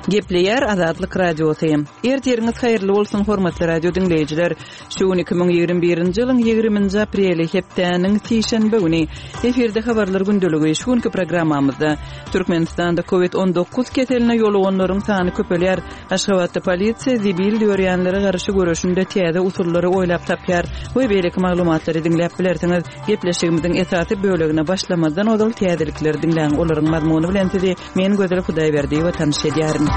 Gepleýär Azatlyk Radiosy. Ertiriňiz haýyrly bolsun, hormatly radio diňleýjiler. Şu gün 2021-nji ýylyň 20-nji apreli, hepdäniň sişenbe güni. Efirde habarlar gündeligi. Şu günki programmamyzda Türkmenistanda COVID-19 keseline ýoluganlaryň sany köpelýär. Aşgabatda polisiýa zibil dörýänlere garşy göreşinde täze usullary oýlap tapýar we beýleki maglumatlary diňläp bilersiňiz. Gepleşigimiziň esasy bölegine başlamazdan ozal täzelikleri diňläň, olaryň mazmuny bilen sizi men Gözel Hudaýberdiýewa tanyş edýärin.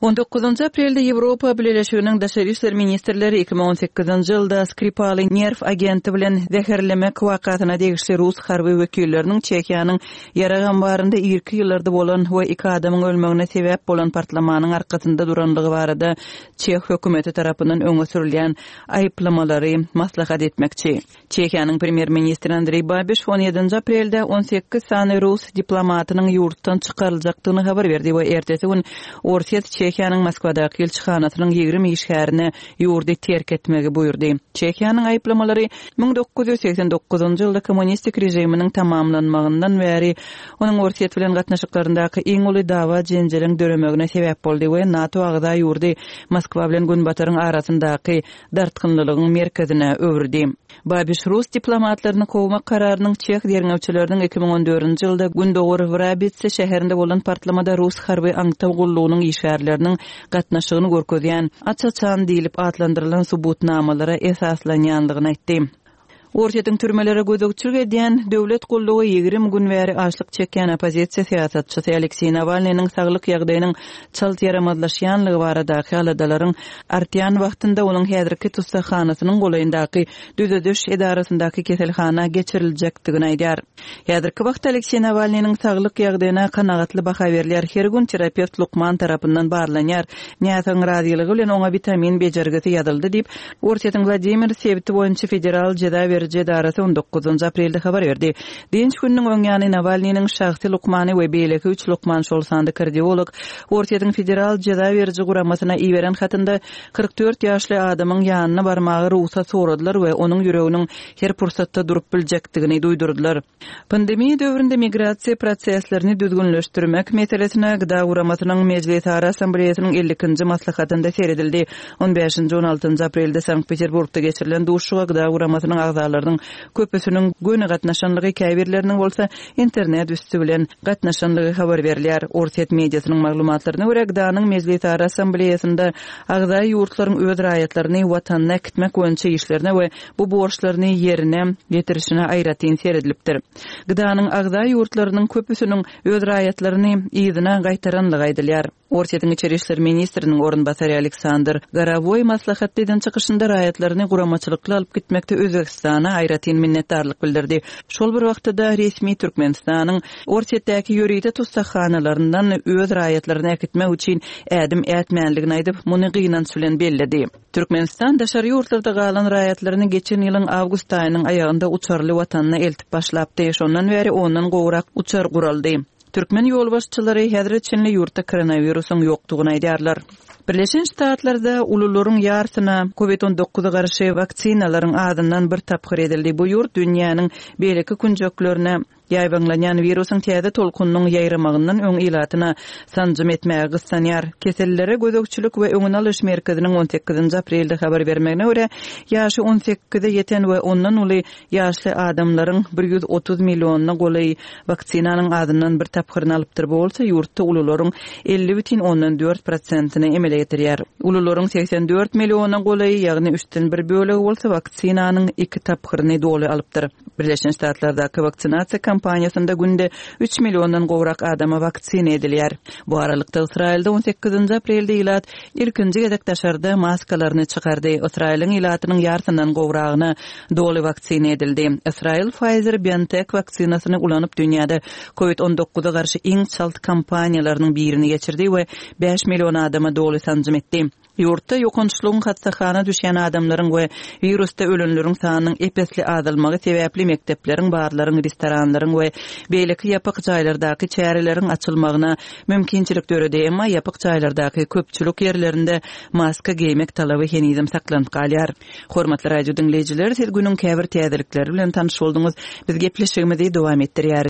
On dokuzynjy aprelde Ýewropa Bileleşiginiň daşary işler ministrleri 2018-nji ýylda Skripaly nerw agenti bilen zäherlemek wakasyna degişli rus harby wekilleriniň Çehiýanyň ýarag ambarynda irki ýyllarda bolan we iki adamyň ölmegine sebäp bolan partlamanyň arkasynda durandygy barada çeh hökümeti tarapyndan öňe sürülýän aýyplamalary maslahat etmekçi. Çehiýanyň premýer-ministri Andreý Babiş on ýedinji aprelde 18 sany rus diplomatynyň ýurtdan çykaryljakdygyny habar berdi we ertesi gün Orsýet Çehiýanyň Moskwadaky ilçihanasynyň 20 işgärine ýurdy terk etmegi buýurdy. Çehiýanyň aýyplamalary 1989-njy ýylda kommunistik režiminiň tamamlanmagyndan bäri onuň Orsýet bilen gatnaşyklaryndaky iň uly dawa-jenjeliň döremegine sebäp boldy we NATO agza ýurdy Moskwa bilen Günbataryň arasyndaky dartgynlylygyň merkezine öwürdi. Babiş rus diplomatlaryny kowmak kararynyň çeh derňewçileriniň 2014-nji ýylda gündogar Wrabitse şäherinde bolan partlamada rus harby aňtaw gullugynyň işgärleriniň gatnaşygyny görkezýän aç-açan diýlip atlandyrylan subutnamalara esaslanýandygyny aýtdy. Orsýetiň türmelere gözegçilik edýän döwlet gullugy 20 gün bäri açlyk çekýän oppozisiýa syýasatçysy Alekseý Nawalnynyň saglyk ýagdaýynyň çalt ýaramazlaşýanlygy baradaky aladalaryň artýan wagtynda onuň häzirki tussaghanasynyň golaýyndaky düzediş edarasyndaky keselhana geçiriljekdigini aýdýar. Häzirki wagtda Alekseý Nawalnynyň saglyk ýagdaýyna kanagatly baha berilýär, her gün terapewt lukman tarapyndan barlanýar, näsagyň razylygy bilen oňa witamin bejergisi ýazyldy diýip, Orsýetiň Wladimir sebiti boýunça federal jeza beriji edarasy on dokuzynjy aprelde habar berdi. Dynç gününiň öň ýany Nawalnynyň şahsy lukmany we beýleki üç lukman, şol sanda kardiolog, Orsýetiň federal jeza beriji guramasyna iberen hatynda 44 ýaşly adamyň ýanyna barmaga rugsat soradylar we onuň ýüreginiň her pursatda durup biljekdigini duýdurdylar. Pandemiýa döwründe migrasiýa proseslerini düzgünleşdirmek meselesine GDA guramasynyň Mejlisara Assambleýasynyň 52-nji maslahatynda seredildi. On bäşinji, on altynjy aprelde Sankt-Peterburgda geçirilen duşuşyga GDA guramasynyň agzalarynyň köpüsiniň göni gatnaşanlygy, käbirleriniň bolsa internet üsti bilen gatnaşanlygy habar berilýär. Orsýet mediasynyň maglumatlaryna görä, GDA-nyň Mejlisara Assambleýasynda agza ýurtlaryň öz raýatlaryny Watanyna äkitmek boýunça işlerine we bu borçlaryny ýerine ýetirişine aýratyn seredilipdir. GDA-nyň agza ýurtlarynyň köpüsiniň öz raýatlaryny yzyna gaýtaranlygy aýdylýar. Orsýetiň içeri işler ministriniň orunbasary Aleksandr Gorowoý maslahatda eden çykyşynda raýatlaryny guramaçylykly alyp gitmekde Özbegistana aýratyn minnetdarlyk bildirdi. Şol bir wagtda-da resmi Türkmenistanyň Orsýetdäki ýörite tussaghanalaryndan öz raýatlaryny äkitmek üçin ädim ätmänligini aýdyp, muny gynanç bilen belledi. Türkmenistan daşary ýurtlarda galan raýatlaryny geçen ýylyň awgust aýynyň aýagynda uçarly watanyna eltip başlapdy. Şondan bäri ondan gowrak uçar guraldy. Türkmen ýolbaşçylary häzire çenli ýurtda koronawirusyň ýokdugyny aýdýarlar. Birleşen Ştatlarda ulularyň ýarsyna Covid 19 garşy waksinalaryň azyndan bir tapgyr edildi. Bu ýurt dünýäniň beýleki künjeklerine Ýaýbaňlanýan wirusyň täze tolkunynyň ýaýramagyndan öň ilatyna sanjym etmäge gyssanýar. Kesellere gözegçilik we öňüni alyş merkeziniň on sekizinji aprelde habar bermegine görä, ýaşy on sekize ýeten we ondan uly ýaşly adamlaryň bir 130 millionyna golaýy waksinanyň azyndan bir tapgyryny alypdyr, bu bolsa ýurtda ulularyň 50,4 prosentini emele getirýär. Ulularyň 84 milliona golaýy, ýagny üçden bir bölegi bolsa waksinanyň iki tapgyryny doly alypdyr. Birleşen Ştatlardaky waksinasiýa kampaniýasynda günde üç milliondan gowrak adama waksina edilýär. Bu aralykda, Ysraýylda on sekizinji aprelde ilat ilkinji gezek daşarda maskalaryny çykardy. Ysraýylyň ilatynyň ýarsyndan gowragyna doly waksina edildi. Ysraýyl Pfizer-BioNTech waksinasyny ulanyp dünýäde Covid on dokuza garşy iň çalt kampaniýalarynyň birini geçirdi we bäş million adama doly sanjym etdi. Ýurtda ýokançlygyň hassahana düşýän adamlaryň we wirusda ölenleriň sanynyň ep-esli azalmagy sebäpli mekdepleriň, barlaryň, restoranlaryň we beýleki ýapyk jaýlardaky çäreleriň açylmagyna mümkinçilik döredi, emma ýapyk jaýlardaky köpçülik ýerlerinde maska geýmek talaby henizem saklanyp galýar. Hormatly radio diňleýjiler, siz günüň käbir täzelikleri bilen tanyş bolduňyz. Biz gepleşigimizi dowam etdirýäris.